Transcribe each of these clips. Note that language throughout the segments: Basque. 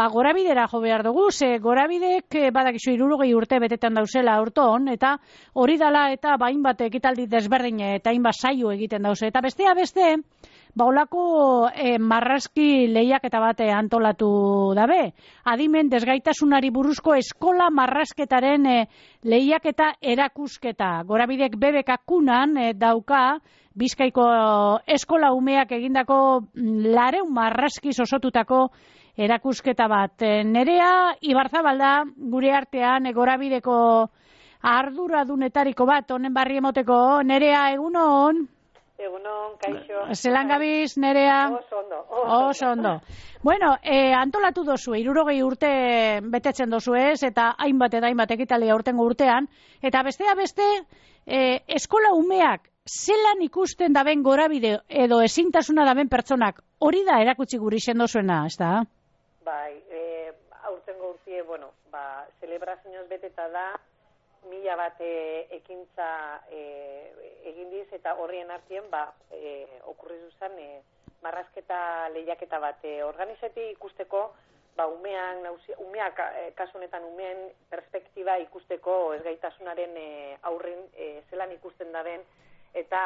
gorabidera jo behar dugu, ze gorabidek badakizu 60 urte betetan dauzela aurton, eta hori dala eta hainbat ekitaldi desberdin eta hainbat saio egiten dauze. Eta bestea beste, olako marrazki lehiaketa bat antolatu dabe. Adimen desgaitasunari buruzko eskola marrazketaren lehiaketa erakusketa. Gorabidek bebekakunan dauka Bizkaiko eskola umeak egindako 200 marrazkiz osotutako erakusketa bat. Nerea Ibarzabalda gure artean Gorabideko arduradunetariko bat honen barri emoteko. Nerea, egunon? Egunon, kaixo. Zelan gabiz, Nerea? Oso ondo. Bueno, antolatu dozu, 60 urte betetzen dozu ez, eta hainbat ekitaldia urtengo urtean, eta bestea beste, eskola umeak zelan ikusten daben gorabide edo ezintasuna daben pertsonak, hori da erakutsi guri sendozuena, ez da? Bai, aurtengo urtie, celebrazioz beteta da, 1000 bat ekintza egin diz, eta horrien artien, okurrizu zen, marrazketa lehiaketa bat organizati ikusteko, umeak, kasu honetan umeen perspektiba ikusteko ezgaitasunaren aurrin zelan ikusten daben, eta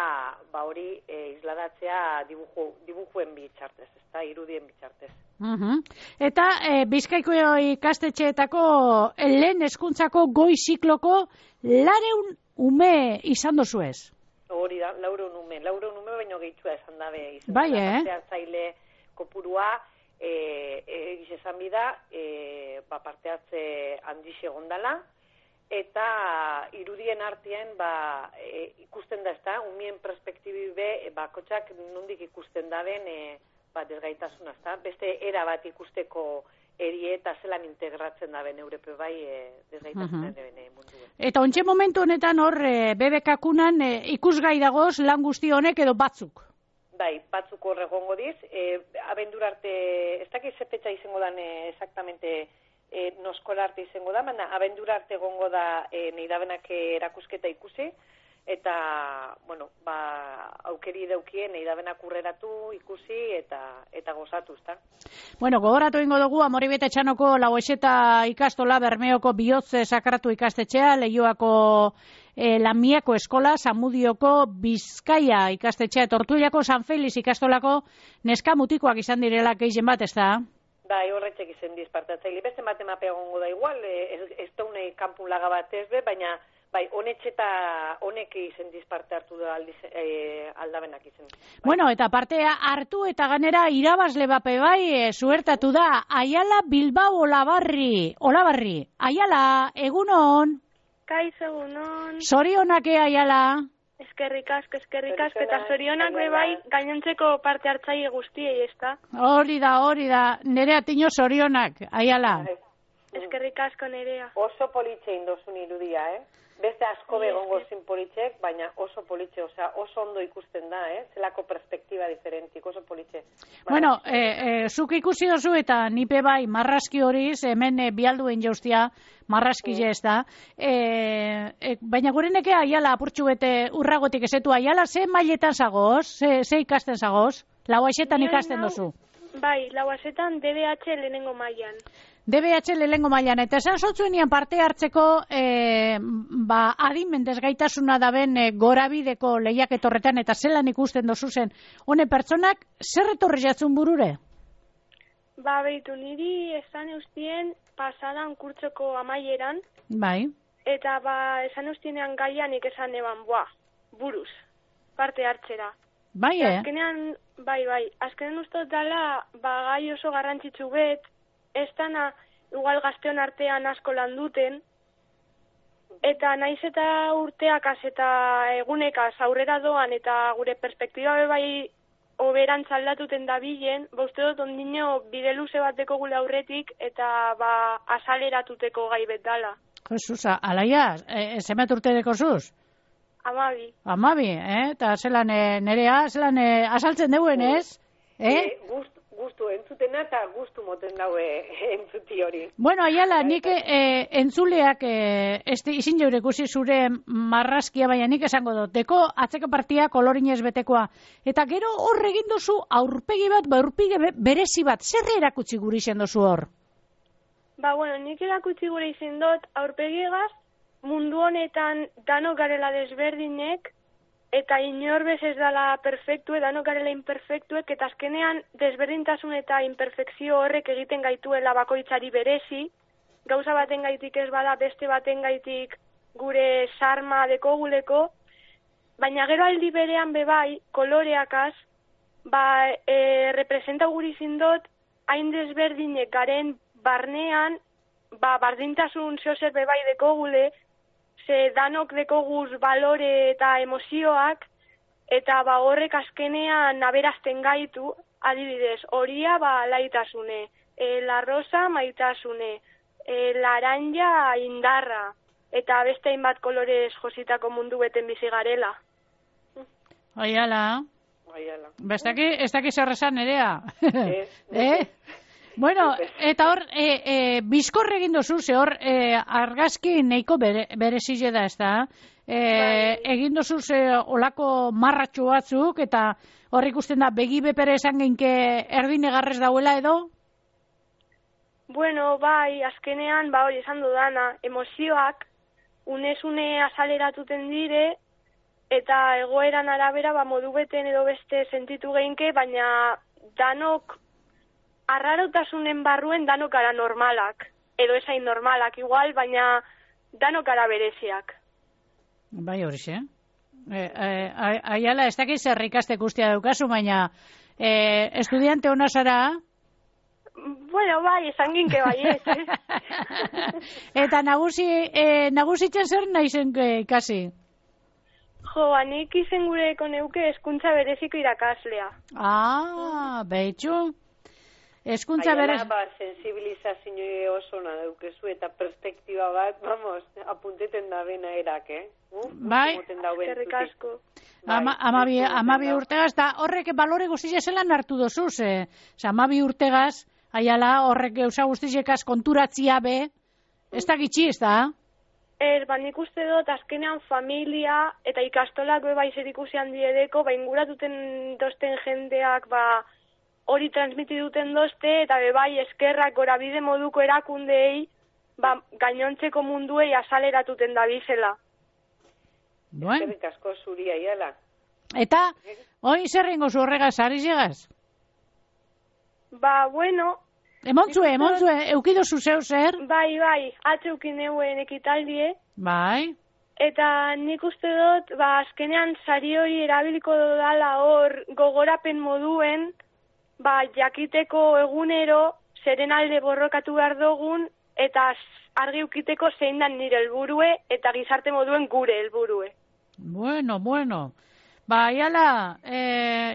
hori isladatzea dibujuen bitartez, ezta, irudien bitartez. Eta Bizkaiko ikastetxeetako lehen hezkuntzako goi zikloko 200 ume izan dozu ez? Hori da, 200 ume baino gehitua esan dabe. Bai, parte hartzaile kopurua, esan bida, parte hartze handixe gondala, eta irudien artien ikusten da, ezta, umien perspektibi bakotxak nondik ikusten daben desgaitasuna, ezta, beste era bat ikusteko erie eta zelan integratzen daben Europe desgaitasunaren munduen. Eta ontxe momentu honetan hor bebekakunan ikusgai dagoz lan guzti honek edo batzuk? Bai, batzuk hor egongo diz, abendura arte, ez dakit zepetxa izango dan exactamente noskola arte izango da, baina abendura arte egongo da neidabenak erakusketa ikusi, eta, aukeri daukien neidabenak urreratu ikusi eta gozatu, ezta? Bueno, gogoratu ingo dugu, Amoribete Etxanoko Laueseta ikastola, Bermeoko Bihotze Sakratu ikastetxea, Leioako Lamiako eskola, Zamudioko Bizkaia ikastetxea, Tortuillako San Feliz ikastolako neska mutikoak izan direla gehien bat, ezta? Bai, horretxek izan dizpartatzaile. Beste matemape egongo da igual, ez daune kanpun laga bat ez be, baina bai, honek izan dizparte hartu da aldabenak izan. Bai. Bueno, eta partea hartu eta ganera irabazle bape bai, zuertatu da, Aiala Bilbao Olabarri. Aiala, egunon? Kaixo, egunon. Zorionak Aiala? Eskerrik asko, eta zorionak bai gainontzeko parte hartzaile guztiei, ezta? Hori da, Nerea Tino zorionak, Aiala. Eskerrik asko, Nerea. Oso politxe indozun irudia, Beste asko begongo zin politxek, baina oso politxe, oso ondo ikusten da, zelako perspektiba diferentik, oso politxe. Bueno, zuk ikusi dozu eta nipe bai marrazki horiz, hemen bialduen jauztia, marrazki ez da. Baina gureneke Aiala apurtxu bete urragotik esetu, Aiala, ze mailetan zagoz? Ze ikasten zagoz? Lauaxetan ikasten dozu? Bai, Lauaxetan DBH lehenengo mailan. DBH lehenengo mailan, eta esan zotzuenian parte hartzeko adimen desgaitasuna daben gorabideko lehiaketorretan eta zelan ikusten dozu zen. Hone pertsonak, zer etorri jatzun burure? Behitu, niri esan eustien pasadan kurtsoko amaieran. Bai. Eta esan eustienean gaianik esan eban, buruz, parte hartzera. Bai, Azkenean, azkenean ustot dala, gai oso garrantzitsu bet, ez dana, igual gazteon artean asko lan duten, eta naiz eta urteakaz eta egunekaz aurrera doan, eta gure perspektiba bai oberantz aldatuten dabilen, uste dut ondino bide luze bateko gule aurretik, eta azaleratuteko gai bet dala. Jesusa, alaia, zemet urte deko zuz? 12. 12, eta zelan Nerea, zelan asaltzen deuen, ez? Gustu entzutena eta gustu moten daue entzuti hori. Bueno, Aiala, nik entzuleak izin jaure ikusi zure marrazkia, baina nik esango dut. Deko atzeko partia kolorinez betekoa. Eta gero hor egin dozu aurpegi bat, aurpegi berezi bat. Zer erakutsi guri zen dozu hor? Bueno, nik erakutsi gure izin dut, aurpegiegaz, mundu honetan danok garela desberdinek, eta inor bez ez dala perfektue, danok garela imperfektuek, eta azkenean desberdintasun eta imperfekzio horrek egiten gaituela bakoitzari berezi, gauza baten gaitik ez bada beste baten gaitik gure sarma dekoguleko, baina gero aldi berean bebai, koloreakaz, representa guri zindot, hain desberdinek garen barnean, bardintasun zeozer bebai dekogule, ze danok dekoguz balore eta emozioak, eta horrek azkenean aberazten gaitu, adibidez, horia laitasune, la rosa maitasune, laranja indarra, eta beste hainbat kolorez jositako mundu beten bizi garela. Aiala. Ez daki zer esan nerea. Bueno, eta hor, bizkorre egin dozu, ze hor, argazki neiko berezile da, ez da? Egin dozu olako marratxo batzuk, eta hor ikusten da, begi bepere esan genke erdin egarrez dauela edo? Bueno, azkenean, hori esan dudana, emozioak, unez-une azaleratuten dire, eta egoeran arabera, modu beten edo beste sentitu geinke, baina danok, arrarotasunen barruen danok gara normalak, edo esain normalak igual, baina danok gara bereziak. Bai horixe. Aiala, ez dakiz zer ikaste guztia daukazu, baina estudiante hona zara? Bueno, esan ginke ez. Eta nagusitzen zer nahi zen ikasi? Nik izen gureko neuke hezkuntza bereziko irakaslea. Behitxu. Hezkuntza berez... sensibilizazio oso na daukezu eta perspektiba bat, apunteten da bena erak, Bai. Eskerrik asko. Amabi urtegaz, eta horrek balore guztia zelan hartu dozu, ze amabi urtegaz, aiala, horrek gauza guztiekaz konturatzia be, ez da gitxi, ez da? Nik uste dut, azkenean familia eta ikastolak bai zer ikusi handi edeko, inguratuten dosten jendeak, hori transmiti duten dozte, eta bai eskerrak gorabide moduko erakundeei, gainontzeko munduei azaleratuten da bizela. Eskerrik asko zuri aiala. Eta, hori zerrengo zu horregaz, ari zegaz? Bueno... Emontzue, eukidozu zeu zer? Bai, atzeukin euen ekitaldie. Bai. Eta nik uste dut, azkenean sari hori erabiliko dala hor gogorapen moduen, jakiteko egunero, zeren alde borrokatu behar dugun, eta argi ukiteko zein dan nire helburue, eta gizarte moduen gure helburue. Bueno. Aiala,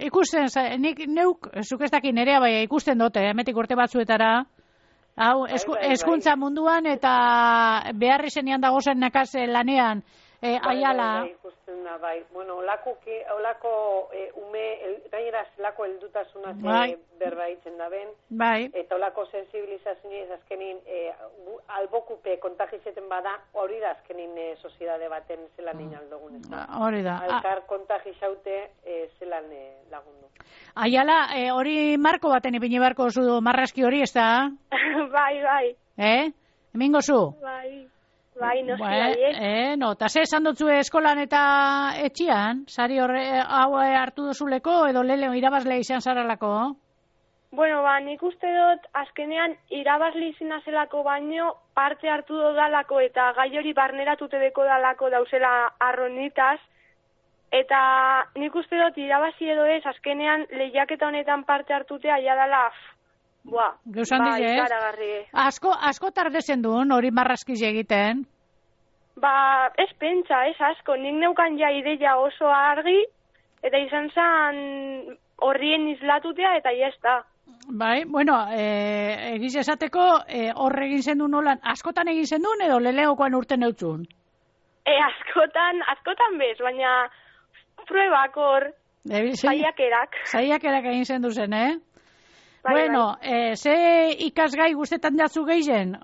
ikusten, nik neuk, zuk ez dakin nerea, ikusten dute, emetik urte batzuetara, hau, hezkuntza munduan, eta beharri zenian dagozen nekaz lanean, aiala. Ikusten da, Bueno, olako ume, gainera zelako heldutasuna berbaitzen da ben, eta olako sensibilizazioa azkenin albokupe kontagizeten bada, hori da azkenin soziedade baten zelan inaldogun, ez da? Hori da. Alkar kontagizaute zelan lagundu. Aiala, hori marko baten ipini beharko zu marraski hori, ez da? Bai. Hemingo zu? Bai, noski eta ze esan dutzu eskolan eta etxian? Sari hau hartu duzuleko edo lele irabazle izan zaralako? Bueno, nik uste dut azkenean irabazle izina zelako baino parte hartu dodalako eta gai hori barneratute deko dalako dauzela arronitaz, eta nik uste dut irabazi edo ez azkenean lehiaketa honetan parte hartutea ja dala ikaragarri. Asko tardezen duen hori marraskiz egiten? Ez pentsa, ez asko. Nik neukan ja ideia oso argi, eta izan zen horrien izlatutea, eta jazta. Bai, bueno, egiz esateko, horre egin zen duen nolan, askotan egin zen duen, edo leleokoan urten eutzun? Askotan bez, baina pruebak hor, zaiakerak. Zaiakerak egin zen duzen, Bueno, ze ikasgai guztetan jatzu gehien?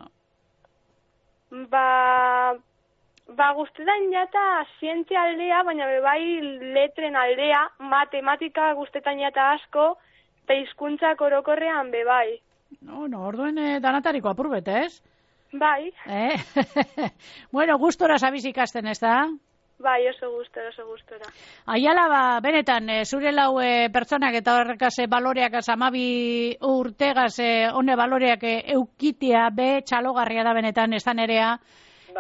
Guztetan jata zientzia aldea, baina bai letren aldea, matematika guztetan jata asko, eta hizkuntzak orokorrean bai. No, orduen danatariko apurbet, ez? Bai. Bueno, gustora sabiz ikasten, ez da? Bai, oso gustora. Aiala, benetan, zure lau pertsonak eta horrekaz baloreak amabi urtegaz hone baloreak eukitea be txalogarria da benetan, ez da nerea.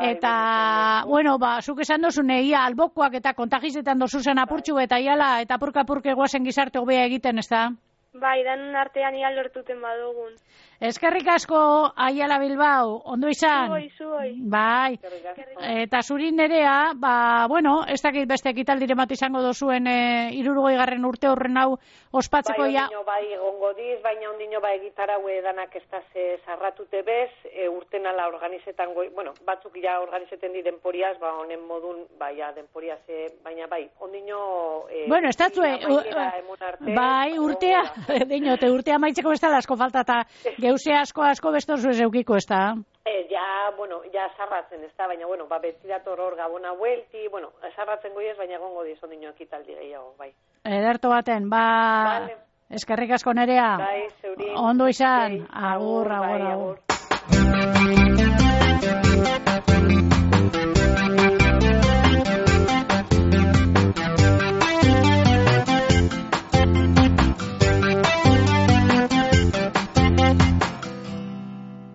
Eta, bueno, zuk esan dozune, ia albokoak eta kontagizetan dozuzen apurtxu eta iala eta apurka-apurke guazen gizarte hobea egiten, ez da? Bai, danun artean ia lortuten badugun. Eskerrik asko, Aiala Bilbao, ondo izan? Zuoi. Bai, eta zurin nerea, bueno, ez dakit beste ekitaldire bat izango dozuen 60. urte horren hau ospatzeko ja. Bai, egongo diz, baina ondino egitarau danak ez da zarratute bez, urtenala organizetan bueno, batzuk ja organizeten di denporiaz, honen modun, ja, denporiaz, baina bai, ondino... Bueno, ez datzue, bai, urtea, deinote, urtea maitzeko ez da asko falta, eta geuse asko bestozu ez eukiko, ez da? Ja zarratzen, ez da, baina, beti dator hor gabona huelti, zarratzen goiez, baina egongo diz ondino ekitaldi gehiago, bai. Ederto baten, eskerrik asko nerea. Bai, zeurin. Ondo izan, agur.